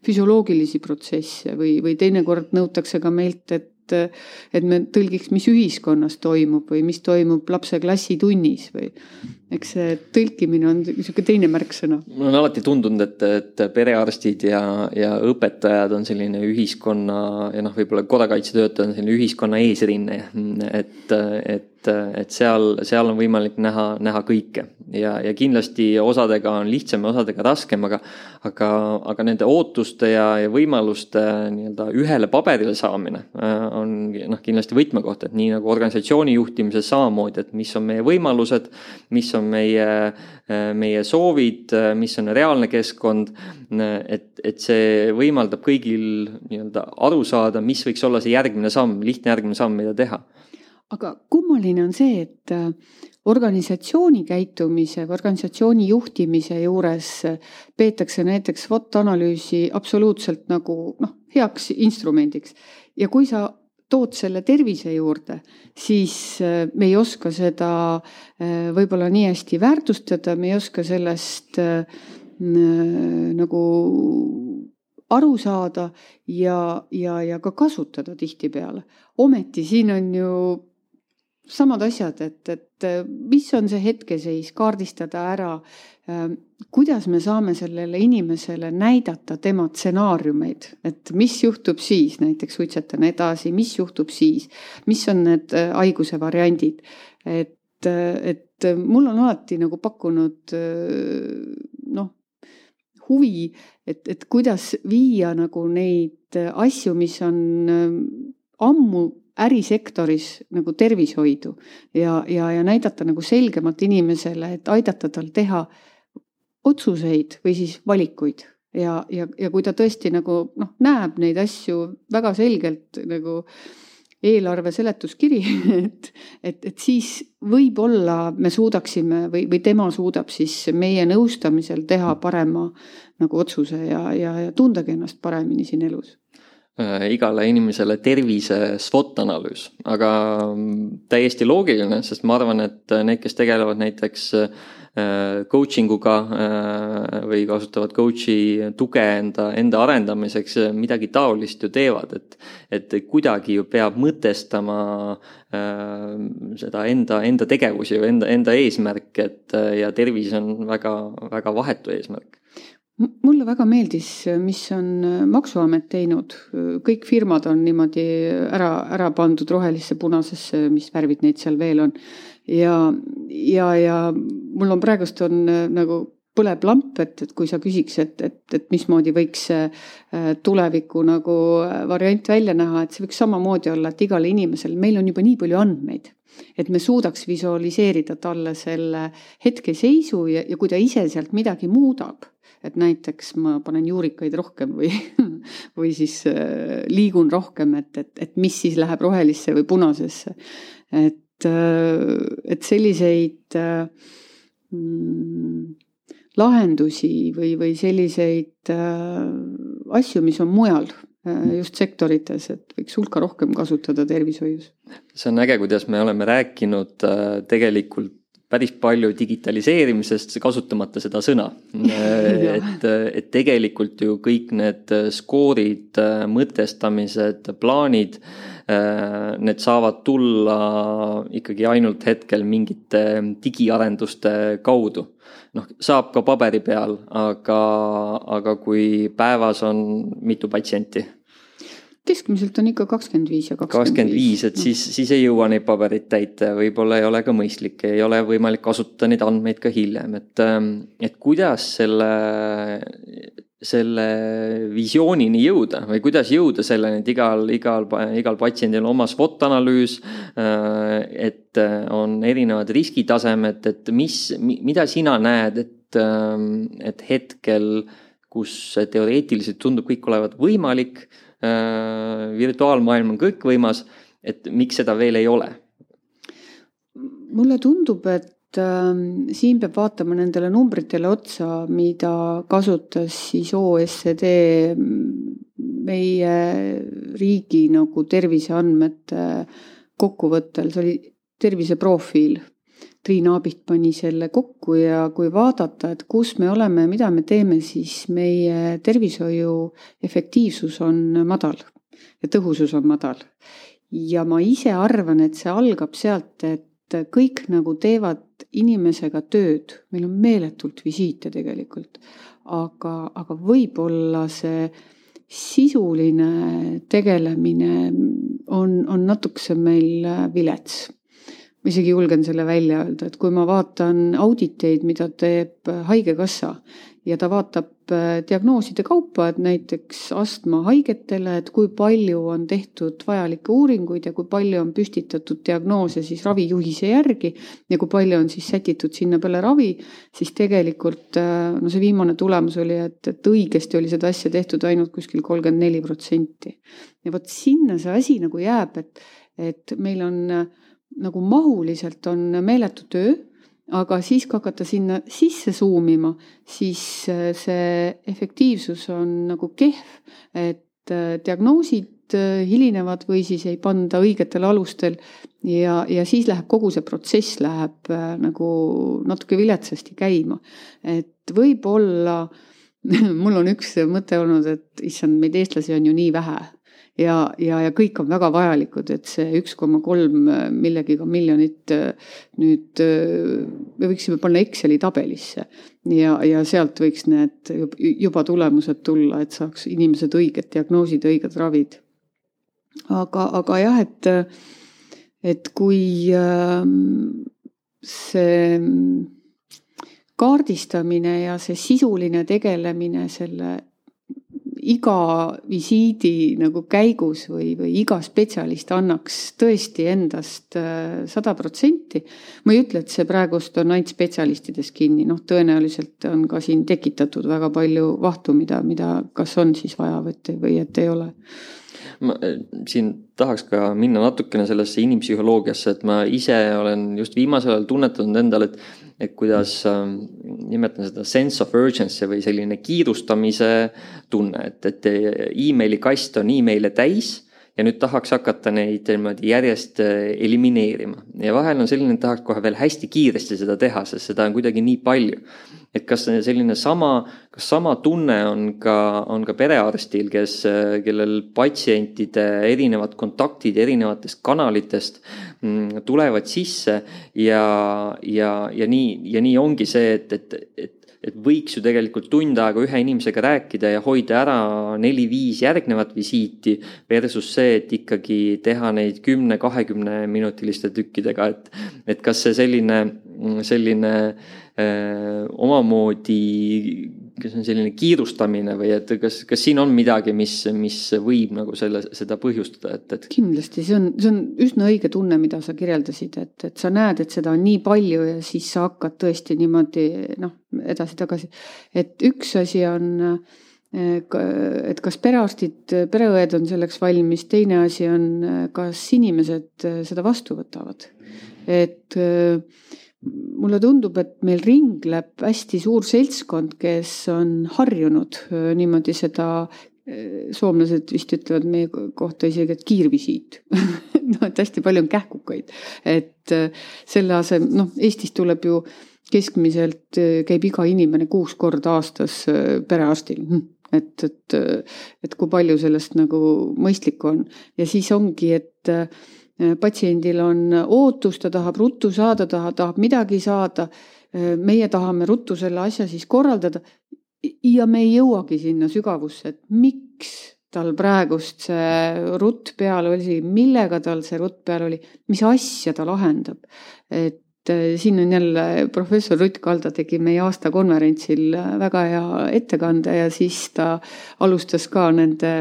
füsioloogilisi protsesse või, või teinekord nõutakse ka meilt, et et me tõlgiks, mis ühiskonnas toimub või mis toimub lapse klassitunnis või eks see tõlkimine on niisugune teine märksõna. Mul on alati tundunud, et, et perearstid ja, ja õpetajad on selline ühiskonna ja noh, võib-olla kodakaitsetöötajad on selline ühiskonna eesrinne, et, et, et seal, seal on võimalik näha, näha kõike ja, ja kindlasti osadega on lihtsam ja osadega raskem, aga, aga, aga nende ootuste ja, ja võimaluste nii-öelda ühele paberile saamine on noh, kindlasti võtmekoht, et nii nagu organisatsiooni juhtimises samamoodi, et mis on meie võimalused, mis on meie, meie soovid, mis on reaalne keskkond, et, et see võimaldab kõigil nii-öelda aru saada, mis võiks olla see järgmine samm, lihtne järgmine samm, mida teha. Aga kummaline on see, et organisatsiooni käitumise, organisatsiooni juhtimise juures peetakse näiteks SWOT-analüüsi absoluutselt nagu noh, heaks instrumendiks. Ja kui sa tood selle tervise juurde, siis me ei oska seda võib-olla nii hästi väärtustada, me ei oska sellest nagu aru saada ja, ja, ja ka kasutada tihtipeale. Ometi siin on ju samad asjad, et, et mis on see hetkeseis, kaardistada ära, kuidas me saame sellele inimesele näidata tema stsenaariumeid, et mis juhtub siis, näiteks suitsetan edasi, mis juhtub siis, mis on need haiguse variandid, et, et et mul on alati nagu pakkunud noh, huvi, et, et kuidas viia nagu neid asju, mis on ammu ärisektoris nagu tervishoidu ja, ja, ja näidata nagu selgemalt inimesele, et aidata tal teha otsuseid või siis valikuid. Ja, ja, ja kui ta tõesti nagu noh, näeb neid asju väga selgelt nagu eelarve seletuskiri, et, et, et siis võib-olla me suudaksime või, või tema suudab siis meie nõustamisel teha parema nagu otsuse ja, ja, ja tundagi ennast paremini siin elus. Igale inimesele tervise SWOT-analüüs, aga täiesti loogiline, sest ma arvan, et need, kes tegelevad näiteks coaching uga või kasutavad coachi tuge enda, enda arendamiseks, midagi taolist ju teevad, et, et kuidagi ju peab mõtestama seda enda, enda tegevusi või enda, enda eesmärk, et ja tervis on väga, väga vahetu eesmärk. Mulle väga meeldis, mis on Maksuamet teinud. Kõik firmad on niimoodi ära, ära pandud rohelisse, punasesse, mis värvid neid seal veel on. Ja, ja, ja mul on praegust on nagu põleb lamp, et, et kui sa küsiks, et, et, et mismoodi võiks tuleviku nagu variant välja näha, et see võiks samamoodi olla, et igale inimesel, meil on juba nii palju andmeid, et me suudaks visualiseerida talle selle hetkeseisu ja, ja kui ta ise sealt midagi muudab, et näiteks ma panen juurikaid rohkem või, või siis liigun rohkem, et, et, et mis siis läheb rohelisse või punasesse. Et, et selliseid mm, lahendusi või, või selliseid asju, mis on mujal just sektorites, et võiks hulka rohkem kasutada tervishoius. See on äge, kuidas me oleme rääkinud tegelikult päris palju digitaliseerimisest, kasutamata seda sõna. et, et tegelikult ju kõik need skoorid, mõtestamised, plaanid, need saavad tulla ikkagi ainult hetkel mingite digiarenduste kaudu. Noh, saab ka paberi peal, aga, aga kui päevas on mitu patsienti? Keskmiselt on ikka kakskümmend viis ja kakskümmend viis, et siis, siis ei jõua neid paberit täita, võib-olla ei ole ka mõistlik, ei ole võimalik kasutada neid andmeid ka hiljem, et, et kuidas selle, selle visioonini jõuda või kuidas jõuda selleni, et igal, igal, igal patsiendil on oma SWOT-analüüs, et on erinevad riskitasemed, et mis, mida sina näed, et, et hetkel, kus teoreetiliselt tundub kõik olevat võimalik, virtuaalmaailm on kõik võimas, et miks seda veel ei ole? Mulle tundub, et äh, siin peab vaatama nendele numbritele otsa, mida kasutas siis O E C D meie riigi nagu terviseandmete kokkuvõttel. See oli terviseprofiil. Triin Aabit pani selle kokku ja kui vaadata, et kus me oleme, mida me teeme, siis meie tervishoiu efektiivsus on madal ja tõhusus on madal. Ja ma ise arvan, et see algab sealt, et kõik nagu teevad inimesega tööd. Meil on meeletult visiite tegelikult, aga, aga võib-olla see sisuline tegelemine on, on natukese meil vilets. Ma isegi julgen selle välja öelda, et kui ma vaatan auditeid, mida teeb haigekassa ja ta vaatab diagnooside kaupa, et näiteks astma haigetele, et kui palju on tehtud vajalikke uuringuid ja kui palju on püstitatud diagnoose siis ravijuhise järgi ja kui palju on siis sätitud sinna peale ravi, siis tegelikult no see viimane tulemus oli, et, et õigesti oli seda asja tehtud ainult kuskil kolmkümmend neli protsenti. Ja võt sinna see asi nagu jääb, et, et meil on nagu mahuliselt on meeletu töö, aga siis kui hakata sinna sisse suumima, siis see efektiivsus on nagu kehv, et diagnoosid hilinevad või siis ei panda õigetel alustel ja, ja siis läheb kogu see protsess läheb nagu natuke viletsasti käima. Et võib-olla, mul on üks mõte olnud, et issand, meid eestlasi on ju nii vähe. Ja, ja, ja kõik on väga vajalikud, et see üks koma kolm millegiga miljonit nüüd me võiksime panna Exceli tabelisse ja, ja sealt võiks need juba tulemused tulla, et saaks inimesed õiged diagnoosid, õiged ravid. Aga, aga jah, et, et kui see kaardistamine ja see sisuline tegelemine selle iga visiidi nagu käigus või, või iga spetsialist annaks tõesti endast sada protsenti. Ma ei ütle, et see praegust on ainult spetsialistides kinni, noh tõenäoliselt on ka siin tekitatud väga palju vahtu, mida, mida kas on siis vaja või, või et ei ole. Ma siin tahaks ka minna natukene sellesse inimpsühholoogiasse, et ma ise olen just viimasel ajal tunnetanud endale, et, et kuidas äh, nimetan seda sense of urgency või selline kiirustamise tunne, et, et e-maili kast on e-maile täis ja nüüd tahaks hakata neid järjest elimineerima. Ja vahel on selline, et tahaks kohe veel hästi kiiresti seda teha, sest seda on kuidagi nii palju. Et kas selline sama, kas sama tunne on ka, on ka perearstil, kes, kellel patsientide erinevad kontaktid erinevatest kanalitest tulevad sisse ja, ja, ja, nii, ja nii ongi see, et, et, et et võiks ju tegelikult tund aega ühe inimesega rääkida ja hoida ära neli-viis järgnevat visiiti versus see, et ikkagi teha neid kümne-kahekümne minutiliste tükkidega, et, et kas see selline, selline öö, omamoodi, kas on selline kiirustamine või et kas, kas siin on midagi, mis, mis võib nagu selle, seda põhjustada? Et, et... Kindlasti, see on, see on üsna õige tunne, mida sa kirjeldasid, et, et sa näed, et seda on nii palju ja siis sa hakkad tõesti niimoodi noh, edasi-tagasi. Et üks asi on, et kas perearstid, pereõed on selleks valmis, teine asi on, kas inimesed seda vastu võtavad. Et mulle tundub, et meil ringleb hästi suur seltskond, kes on harjunud niimoodi seda, soomlased vist ütlevad meie kohta isegi, et kiirvisiit. No, et hästi palju on kähkukaid. Et selle asem, noh, Eestis tuleb ju keskmiselt käib iga inimene kuus korda aastas perearstil. Et, et, et kui palju sellest nagu mõistlik on. Ja siis ongi, et patsiendil on ootus, ta tahab ruttu saada, ta tahab midagi saada. Meie tahame ruttu selle asja siis korraldada ja me ei jõuagi sinna sügavusse, et miks tal praegust see rutt peal oli, millega tal see rutt peal oli, mis asja ta lahendab. Et siin on jälle professor Rutt Kalda tegi meie aasta konverentsil väga hea ettekande ja siis ta alustas ka nende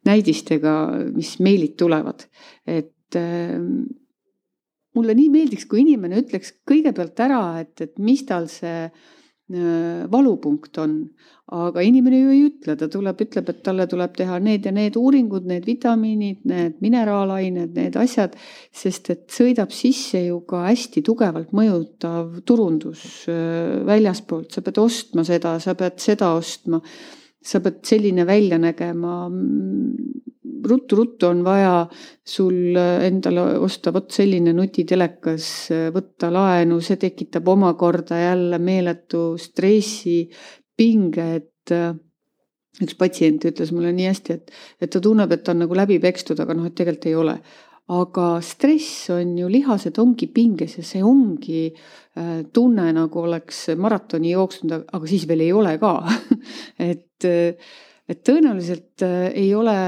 näidistega, mis meilid tulevad. Et mulle nii meeldiks, kui inimene ütleks kõigepealt ära, et, et mis tal see valupunkt on, aga inimene ju ei ütle, ta tuleb, ütleb, et talle tuleb teha need ja need uuringud, need vitamiinid, need mineraalained, need asjad, sest et sõidab sisse ju ka hästi tugevalt mõjutav turundus väljaspoolt, sa pead ostma seda, sa pead seda ostma, sa pead selline välja nägema, ruttu-ruttu on vaja sul endale osta võt selline nutitelekas, võtta laenu, see tekitab omakorda jälle meeletu stressi, pinge, et üks patsient ütles mulle nii hästi, et, et ta tunneb, et ta on nagu läbi pekstud, aga noh, et tegelikult ei ole. Aga stress on ju lihased ongi pinges ja see ongi tunne, nagu oleks maratoni jooksnud, aga siis veel ei ole ka. et, et tõenäoliselt ei ole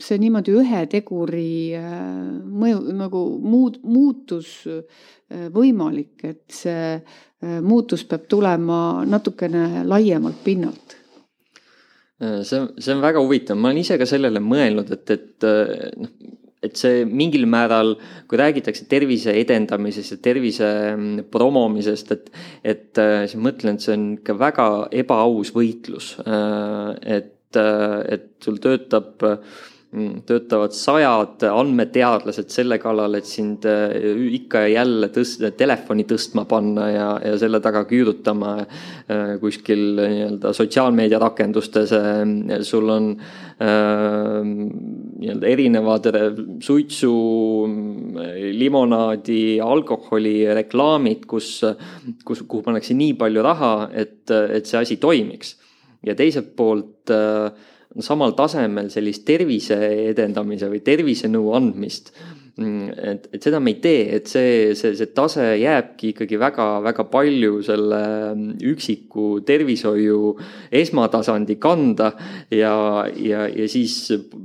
see niimoodi ühe teguri mõju, nagu muud, muutus võimalik, et see muutus peab tulema natukene laiemalt pinnalt. See, see on väga huvitav. Ma olen ise ka sellele mõelnud, et, et, et see mingil määral, kui räägitakse tervise edendamisest ja tervise promomisest, et, et siis mõtlen, et see on ka väga ebaaus võitlus, et et sul töötab, töötavad sajad andmeteadlased selle kallal, et sind ikka ja jälle tõst, telefoni tõstma panna ja, ja selle taga küürutama kuskil nii-öelda sotsiaalmeedia rakendustes. Sul on nii-öelda erinevad suitsu, limonaadi, alkoholi reklaamid, kus, kus, kuhu pannakse nii palju raha, et, et see asi toimiks. Ja teiselt poolt samal tasemel sellist tervise edendamise või tervise nõu andmist et, et seda me ei tee, et see, see, see tase jääbki ikkagi väga, väga palju selle üksiku tervishoiu esmatasandi kanda ja, ja, ja siis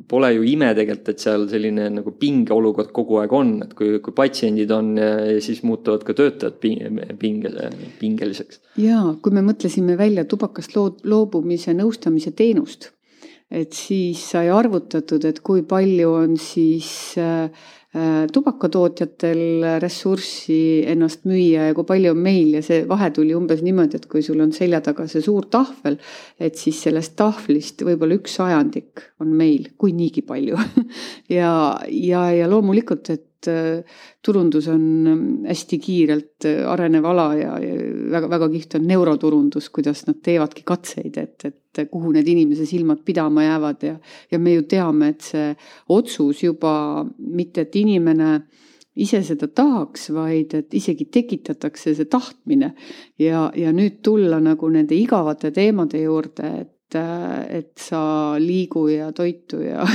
pole ju ime tegelikult, et seal selline nagu pingeolukord kogu aeg on, et kui, kui patsiendid on, siis muutuvad ka töötajad pinge, pingeliseks. Jaa, kui me mõtlesime välja tubakast loobumise nõustamise teenust, et siis sai arvutatud, et kui palju on siis tubakatootjatel ressurssi ennast müüa ja kui palju on meil ja see vahe tuli umbes niimoodi, et kui sul on selja taga see suur tahvel, et siis sellest tahvlist võib-olla üks sajandik on meil, kui niigi palju. ja, ja, ja loomulikult, et turundus on hästi kiirelt arenev ala ja väga, väga kiht on neuroturundus, kuidas nad teevadki katseid, et, et kuhu need inimese silmad pidama jäävad ja, ja me ju teame, et see otsus juba mitte, et inimene ise seda tahaks, vaid et isegi tekitatakse see tahtmine ja, ja nüüd tulla nagu nende igavate teemade juurde, et, et sa liigu ja toitu ja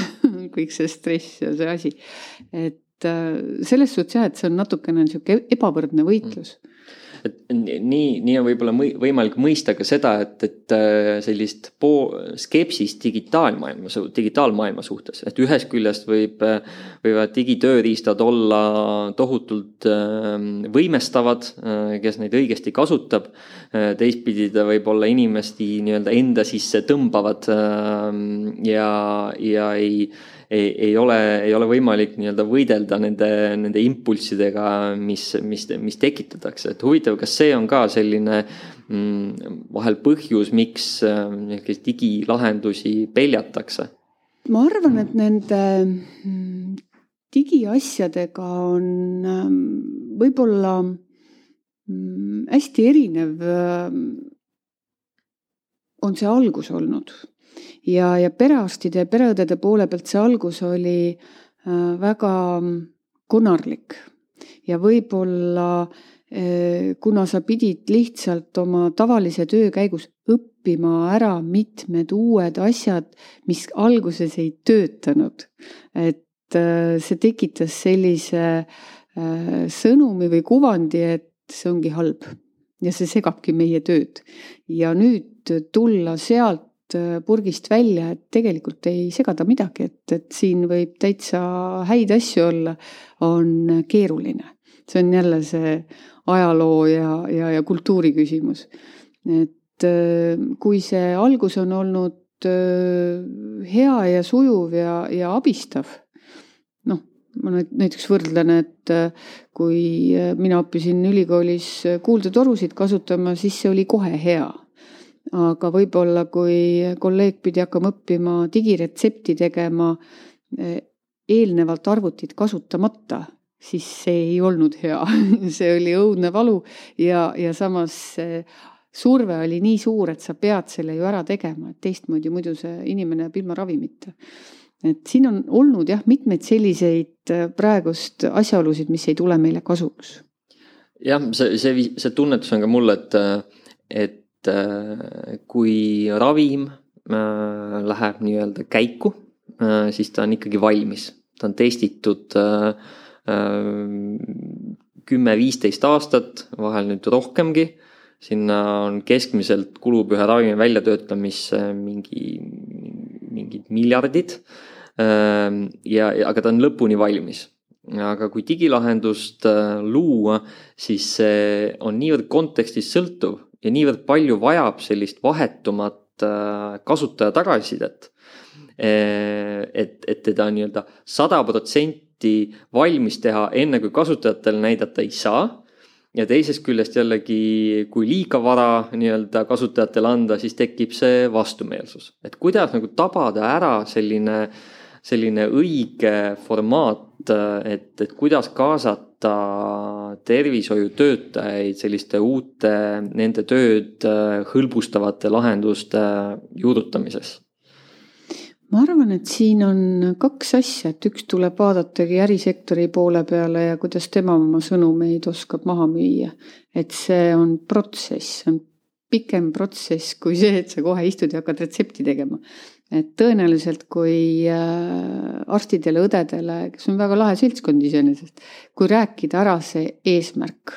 kõik see stress ja see asi, et selles suhtes jah, et see on natukene ebavõrdne võitlus. Et nii, nii on võib-olla võimalik mõista ka seda, et, et sellist po- skepsist digitaalmaailma, digitaalmaailma suhtes, et ühest küljest võib, võivad digitööriistad olla tohutult võimestavad, kes neid õigesti kasutab, teistpidi ta võib olla inimesti nii-öelda enda sisse tõmbavad ja, ja ei Ei, ei, ole, ei ole võimalik nii-öelda võidelda nende, nende impulssidega, mis, mis, mis tekitatakse. Et huvitav, kas see on ka selline mm, vahel põhjus, miks äh, digilahendusi peljatakse? Ma arvan, et nende digiasjadega on võib-olla hästi erinev on see algus olnud. Ja, ja perearstide ja pereõdede poole pealt see algus oli väga konarlik ja võib-olla kuna sa pidid lihtsalt oma tavalise töö käigus õppima ära mitmed uued asjad, mis alguses ei töötanud. Et see tekitas sellise sõnumi või kuvandi, et see ongi halb ja see segabki meie tööd. Ja nüüd tulla sealt purgist välja, et tegelikult ei segada midagi, et, et siin võib täitsa häid asju olla, on keeruline. See on jälle see ajaloo ja, ja, ja kultuuri küsimus. Et kui see algus on olnud hea ja sujuv ja, ja abistav, noh, ma näiteks võrdlen, et kui mina õppisin ülikoolis kuuldetorusid kasutama, siis see oli kohe hea. Aga võib-olla, kui kolleeg pidi hakkama õppima digiretsepti tegema eelnevalt arvutit kasutamata, siis see ei olnud hea. See oli õudne valu ja, ja samas surve oli nii suur, et sa pead selle ju ära tegema, et teistmoodi muidu see inimene jääb ilma ravimita. Et siin on olnud jah, mitmeid selliseid praegust asjaolusid, mis ei tule meile kasuks. Jah, see, see, see tunnetus on ka mulle, et, et kui ravim läheb nii-öelda käiku, siis ta on ikkagi valmis. Ta on testitud kümme viisteist aastat, vahel nüüd rohkemgi. Sinna on keskmiselt kulub ühe ravimi väljatöötamisse mingi, mingid miljardid, ja, aga ta on lõpuni valmis. Aga kui digilahendust luua, siis see on niivõrd kontekstis sõltuv, ja niivõrd palju vajab sellist vahetumat kasutaja tagasisidet, et, et teda nii-öelda sada protsenti valmis teha enne, kui kasutajatel näidata ei saa. Ja teisest küljest jällegi, kui liiga vara nii-öelda kasutajatel anda, siis tekib see vastumeelsus. Et kuidas nagu tabada ära selline, selline õige formaat, et, et kuidas kaasata tervishoiutöötajaid selliste uute, nende tööd hõlbustavate lahenduste juurutamises? Ma arvan, et siin on kaks asja, et üks tuleb vaadatagi ärisektori poole peale ja kuidas tema oma sõnumeid oskab maha müüa. Et see on protsess, see on pikem protsess kui see, et sa kohe istud ja hakkad retsepti tegema. et tõenäoliselt kui arstidele, õdedele, kes on väga lahe seltskond iseenesest, kui rääkida ära see eesmärk,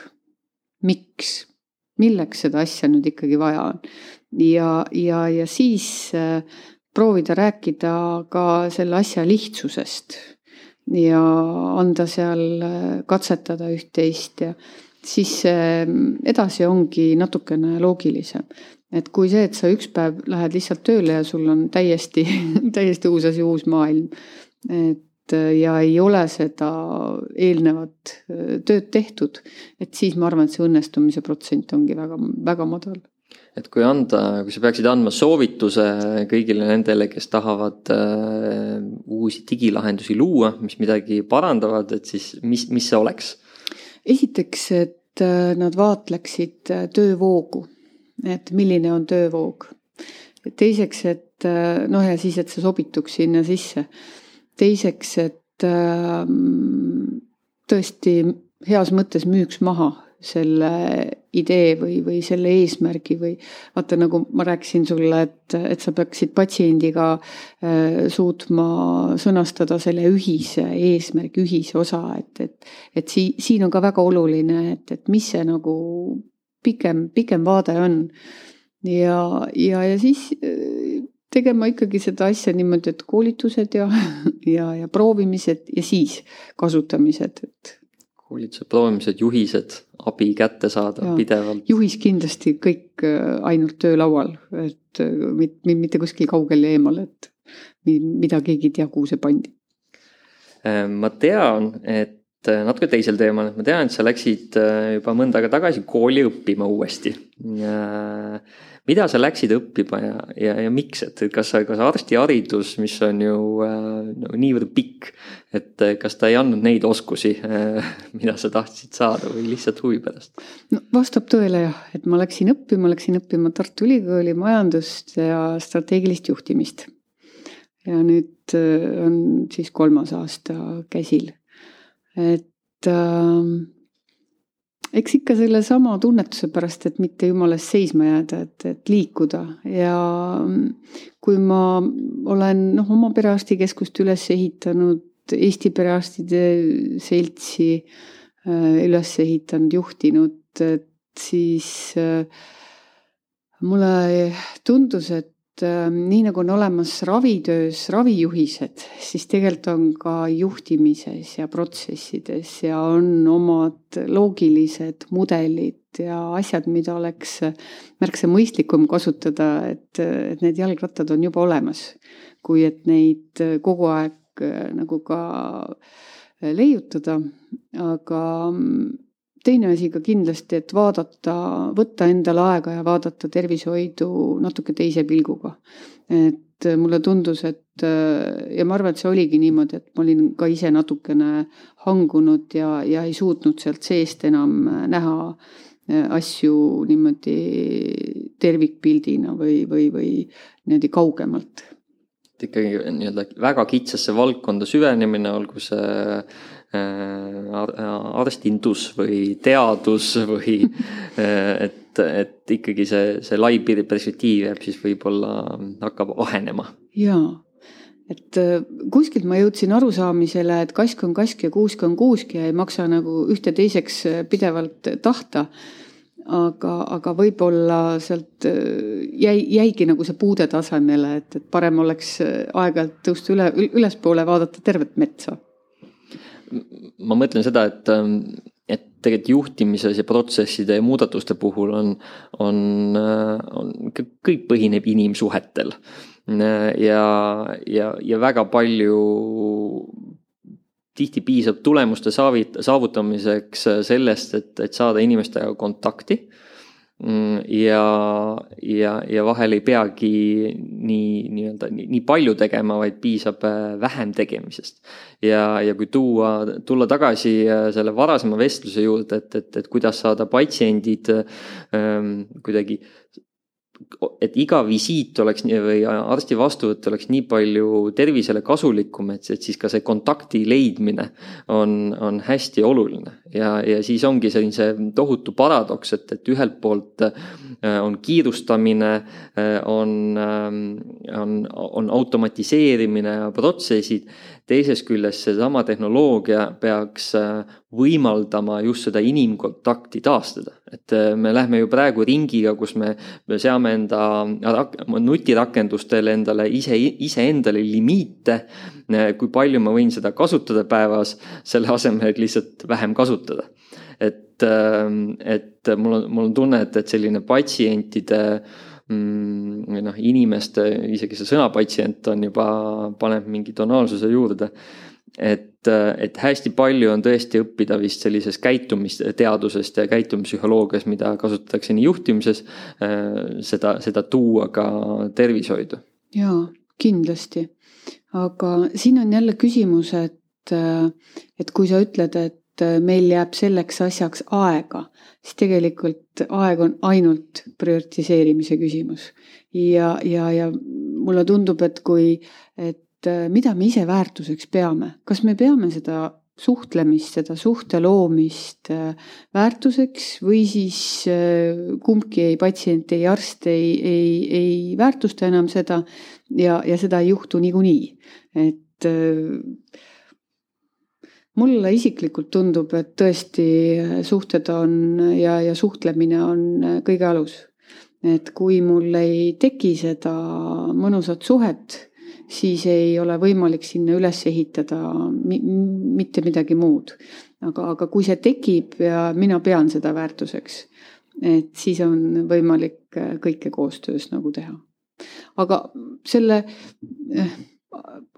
miks, milleks seda asja nüüd ikkagi vaja on. Ja, ja, ja siis proovida rääkida ka selle asja lihtsusest ja anda seal katsetada üht-teist ja siis edasi ongi natukene loogilisem. Et kui see, et sa üks päev lähed lihtsalt tööle ja sul on täiesti, täiesti uus asi, uus maailm, et ja ei ole seda eelnevat tööd tehtud, et siis ma arvan, et see õnnestumise protsent ongi väga, väga madal. Et kui anda, kui sa peaksid andma soovituse kõigile nendele, kes tahavad uh, uusi digilahendusi luua, mis midagi parandavad, et siis mis, mis see oleks? Esiteks, et nad vaatleksid töövoogu. Et milline on töövoog. Teiseks, et noh ja siis, et see sobituks sinna sisse. Teiseks, et tõesti heas mõttes müüks maha selle idee või, või selle eesmärgi või vaata, nagu ma rääkisin sulle, et, et sa peaksid patsiendiga suutma sõnastada selle ühise eesmärgi, ühise osa, et, et, et si, siin on ka väga oluline, et, et mis see nagu pikem, pikem vaade on ja, ja, ja siis tegema ikkagi seda asja niimoodi, et koolitused ja, ja, ja proovimised ja siis kasutamised. Et koolitused, proovimised, juhised, abi kätte saada ja, pidevalt. Juhis kindlasti kõik ainult töölaual, et mitte, mitte kuskil kaugel ja eemal, et mida keegi ei tea, kuhu see pandi. Ma tean, et natuke teisel teemal, et ma tean, et sa läksid juba mõnda aega tagasi kooli õppima uuesti. Ja mida sa läksid õppima ja, ja, ja miks, et kas, kas arstiharidus, mis on ju no, niivõrd pikk, et kas ta ei andnud neid oskusi, mida sa tahtsid saada või lihtsalt huvi pärast? No, vastab tõele jah, et ma läksin õppima, läksin õppima Tartu Ülikooli majandust ja strateegilist juhtimist. Ja nüüd on siis kolmas aasta käsil. Et äh, eks ikka selle sama tunnetuse pärast, et mitte jumalast seisma jääda, et, et liikuda ja kui ma olen noh, oma perearstikeskust üles ehitanud, Eesti perearstide seltsi äh, üles ehitanud, juhtinud, et siis äh, mulle tundus, et nii nagu on olemas ravitöös ravijuhised, siis tegelikult on ka juhtimises ja protsessides ja on omad loogilised mudelid ja asjad, mida oleks märksa mõistlikum kasutada, et, et need jalgrattad on juba olemas, kui et neid kogu aeg nagu ka leiutada, aga teine asi ka kindlasti, et vaadata, võtta endale aega ja vaadata tervishoidu natuke teise pilguga. Et mulle tundus, et ja ma arvan, et see oligi niimoodi, et ma olin ka ise natukene hangunud ja, ja ei suutnud sealt seest enam näha asju niimoodi tervikpildina või, või, või niimoodi kaugemalt. Ikkagi nii-öelda väga kitsasse valdkonda süvenemine, olgu see arstindus või teadus või et, et ikkagi see, see lai perspektiiv jääb siis võib-olla hakkab ahenema. Jaa, et kuskilt ma jõudsin arusaamisele, et kask on kask ja kuusk on kuusk ja ei maksa nagu ühte teiseks pidevalt tahta, aga, aga võib-olla sealt jäi, jäigi nagu see puude tasemele, et, et parem oleks aeg-ajalt tõusta üle, ülespoole vaadata tervet metsa. Ma mõtlen seda, et, et tegelikult juhtimises ja protsesside ja muudatuste puhul on, on, on kõik põhineb inimsuhetel ja, ja, ja väga palju tihti piisab tulemuste saavutamiseks sellest, et, et saada inimestega kontakti ja, ja, ja vahel ei peagi nii, nii, nii palju tegema, vaid piisab vähem tegemisest. Ja, ja kui tuua, tulla tagasi selle varasema vestluse juurde, et, et, et kuidas saada patsiendid ähm, kuidagi, et iga visiit oleks nii, või arsti vastuvõtt oleks nii palju tervisele kasulikum, et, et siis ka see kontakti leidmine on, on hästi oluline ja, ja siis ongi selline see tohutu paradoks, et, et ühelt poolt on kiirustamine, on, on, on automatiseerimine ja protsessid, teises küljes seesama tehnoloogia peaks võimaldama just seda inimkontakti taastada. Et me lähme ju praegu ringiga, kus me, me seame enda nutirakendustele endale ise, ise endale limiite, kui palju ma võin seda kasutada päevas, selle asemel lihtsalt vähem kasutada. Et, et mul on, mul on tunne, et, et selline patsientide mm, noh, inimeste, isegi see sõna patsient on juba, paneb mingi tonaalsuse juurde, et, et hästi palju on tõesti õppida vist sellises käitumisteadusest ja käitumispsühholoogias, mida kasutatakse nii juhtimises, seda, seda tuua ka tervishoidu. Jaa, kindlasti. Aga siin on jälle küsimus, et, et kui sa ütled, et meil jääb selleks asjaks aega, siis tegelikult aeg on ainult prioritiseerimise küsimus. Ja, ja, ja mulle tundub, et kui, et mida me ise väärtuseks peame, kas me peame seda suhtlemist, seda suhte loomist väärtuseks või siis kumbki ei patsient, ei arst, ei, ei, ei väärtusta enam seda ja, ja seda ei juhtu niikuinii. Et mulle isiklikult tundub, et tõesti suhted on ja, ja suhtlemine on kõige alus. Et kui mul ei teki seda mõnusat suhet, siis ei ole võimalik sinna üles ehitada mi- mitte midagi muud. Aga, aga kui see tekib ja mina pean seda väärtuseks, et siis on võimalik kõike koostöös nagu teha. Aga selle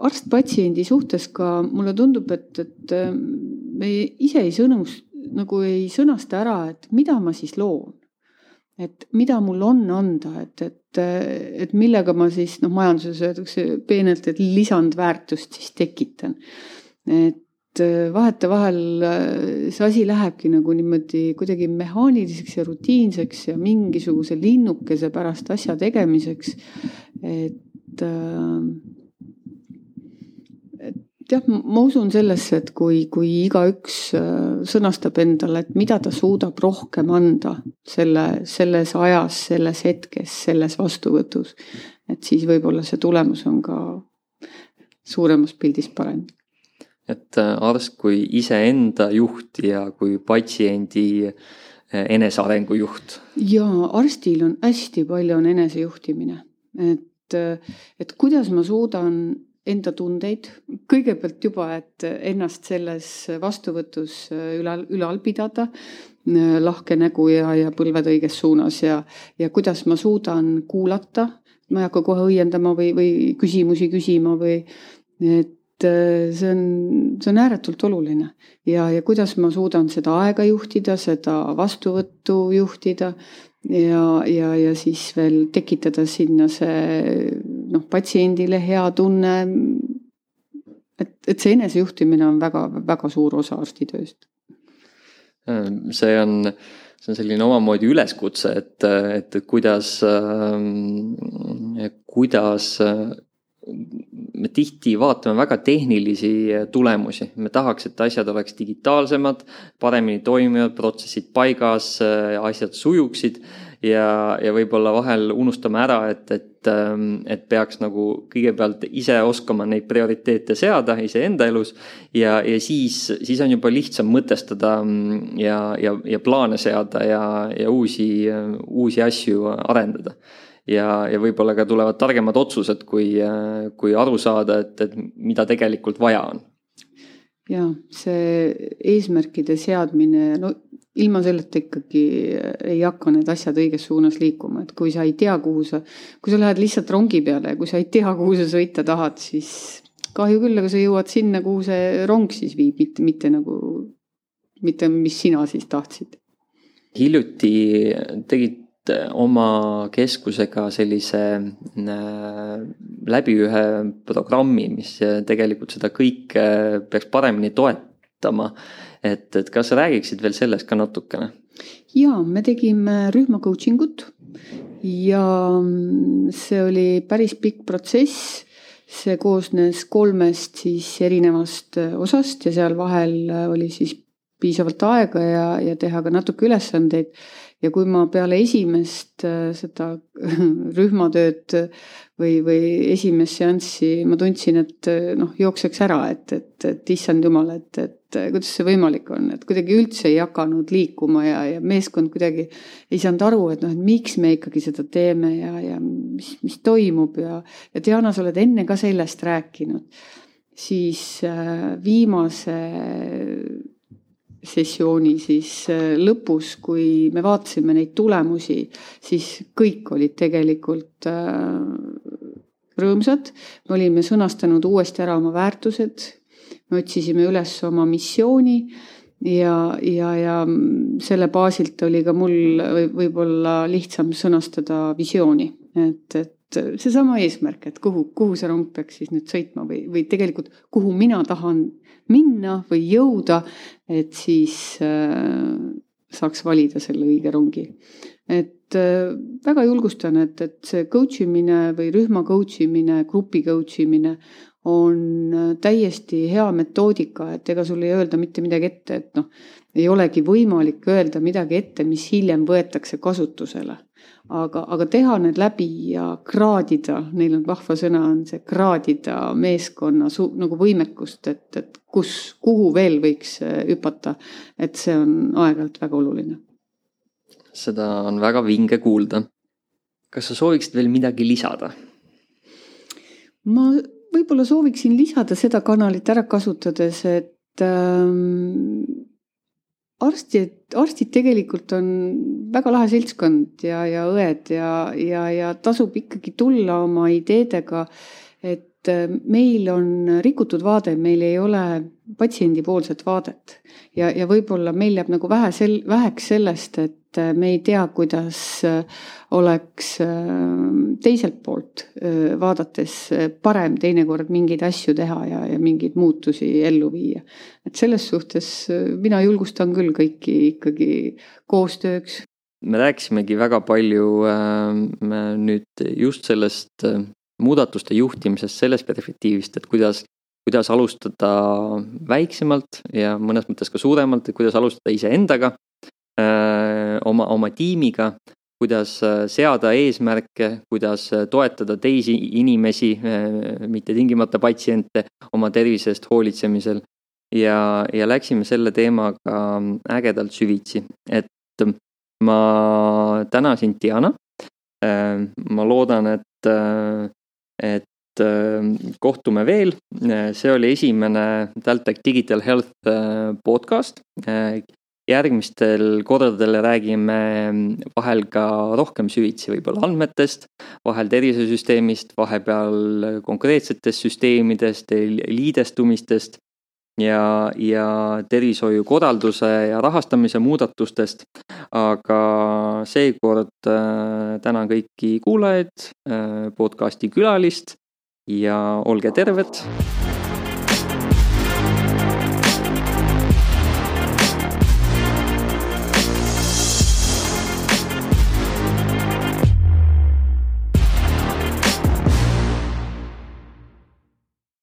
arst-patsiendi suhtes ka mulle tundub, et, et me ise ei, sõnus, nagu ei sõnasta ära, et mida ma siis loon. Et mida mul on anda, et, et, et millega ma siis, noh, majanduses öeldakse peenelt, et lisandväärtust siis tekitan. Et vahete vahel see asi lähebki nagu niimoodi kuidagi mehaaniliseks ja rutiinseks ja mingisuguse linnukese pärast asja tegemiseks. Et jah, ma usun sellesse, et kui, kui igaüks sõnastab endale, et mida ta suudab rohkem anda selle, selles ajas, selles hetkes, selles vastuvõtus, et siis võib-olla see tulemus on ka suuremas pildis parem. Et arst kui iseenda juht ja kui patsiendi enesearengu juht. Ja arstil on hästi palju on enesejuhtimine. Et, et kuidas ma suudan enda tundeid, kõigepealt juba, et ennast selles vastuvõtus ülal, ülal pidada, lahke nägu ja, ja põlved õiges suunas ja, ja kuidas ma suudan kuulata, ma ei hakka kohe õiendama või, või küsimusi küsima või, et see on, see on ääretult oluline ja, ja kuidas ma suudan seda aega juhtida, seda vastuvõttu juhtida ja, ja, ja siis veel tekitada sinna see noh, patsiendile hea tunne, et, et see enesejuhtimine on väga, väga suur osa arstitööst. See on, see on selline omamoodi üleskutse, et, et kuidas, kuidas me tihti vaatame väga tehnilisi tulemusi. Me tahaks, et asjad oleks digitaalsemad, paremini toimivad, protsessid paigas, asjad sujuksid ja, ja võib-olla vahel unustame ära, et, et, et peaks nagu kõigepealt ise oskama neid prioriteete seada ise enda elus ja, ja siis, siis on juba lihtsam mõtestada ja, ja, ja plaane seada ja, ja uusi, uusi asju arendada. Ja, ja võib-olla ka tulevad targemad otsused, kui, kui aru saada, et, et mida tegelikult vaja on. Ja see eesmärkide seadmine, no ilma selleta ikkagi ei hakka need asjad õiges suunas liikuma. Et kui sa ei tea, kuhu sa, kui sa lähed lihtsalt rongi peale ja kui sa ei tea, kuhu sa sõita tahad, siis kahju küll, aga sa jõuad sinna, kuhu see rong siis viib, mitte, mitte nagu, mitte mis sina siis tahtsid. Hiljuti tegid oma keskusega sellise läbi ühe programmi, mis tegelikult seda kõike peaks paremini toetama. Et, et kas sa räägiksid veel sellest ka natukene? Jaa, me tegime rühma coachingut ja see oli päris pikk protsess. See koosnes kolmest siis erinevast osast ja seal vahel oli siis piisavalt aega ja, ja teha ka natuke ülesandeid. Ja kui ma peale esimest seda rühmatööd või, või esimest seanssi ma tundsin, et noh, jookseks ära, et, et, et issand jumal, et, et kuidas see võimalik on, et kuidagi üldse ei hakanud liikuma ja, ja meeskond kuidagi ei saanud aru, et noh, et miks me ikkagi seda teeme ja, ja mis, mis toimub ja, ja Diana, sa oled enne ka sellest rääkinud, siis viimase sessiooni siis lõpus, kui me vaatasime neid tulemusi, siis kõik olid tegelikult rõõmsad. Me olime sõnastanud uuesti ära oma väärtused, me otsisime üles oma missiooni ja, ja, ja selle baasilt oli ka mul võib-olla lihtsam sõnastada visiooni, et, et seesama eesmärk, et kuhu, kuhu see rong peaks siis nüüd sõitma või, või tegelikult kuhu mina tahan minna või jõuda, et siis äh, saaks valida selle õige rongi. Et äh, väga julgustan, et, et see coach imine või rühma coach imine, grupi coach imine on täiesti hea metoodika, et ega sul ei öelda mitte midagi ette, et noh, ei olegi võimalik öelda midagi ette, mis hiljem võetakse kasutusele. Aga, aga teha need läbi ja kraadida, neil on vahva sõna, on see kraadida meeskonna su, nagu võimekust, et, et kus, kuhu veel võiks hüpata, et see on aeg-ajalt väga oluline. Seda on väga vinge kuulda. Kas sa sooviksid veel midagi lisada? Ma võib-olla sooviksin lisada seda kanalit ära kasutades, et ähm, arstid, arstid tegelikult on väga lahe seltskond ja, ja õed ja, ja, ja tasub ikkagi tulla oma ideedega, et meil on rikutud vaade, meil ei ole patsiendipoolset vaadet ja, ja võib-olla meil jääb nagu vähe sel, väheks sellest, et me ei tea, kuidas oleks teiselt poolt vaadates parem teinekord mingeid asju teha ja, ja mingeid muutusi ellu viia. Et selles suhtes mina julgustan küll kõiki ikkagi koostööks. Me rääkisimegi väga palju äh, nüüd just sellest äh, muudatuste juhtimisest, sellest perspektiivist, et kuidas, kuidas alustada väiksemalt ja mõnes mõttes ka suuremalt, et kuidas alustada iseendaga, äh, oma, oma tiimiga, kuidas seada eesmärke, kuidas toetada teisi inimesi, äh, mitte tingimata patsiente oma tervise eest hoolitsemisel ja, ja läksime selle teemaga ägedalt süvitsi, et ma tänasin Diana, äh, ma loodan, et äh, et kohtume veel. See oli esimene TalTech Digital Health podcast. Järgmistel kordadel räägime vahel ka rohkem süvitsi võib-olla andmetest, vahel tervisesüsteemist, vahepeal konkreetsetest süsteemidest, liidestumistest ja, ja tervishoiukorralduse ja rahastamise muudatustest. Aga seekord tänan kõiki kuulajaid, podcasti külalist ja olge terved!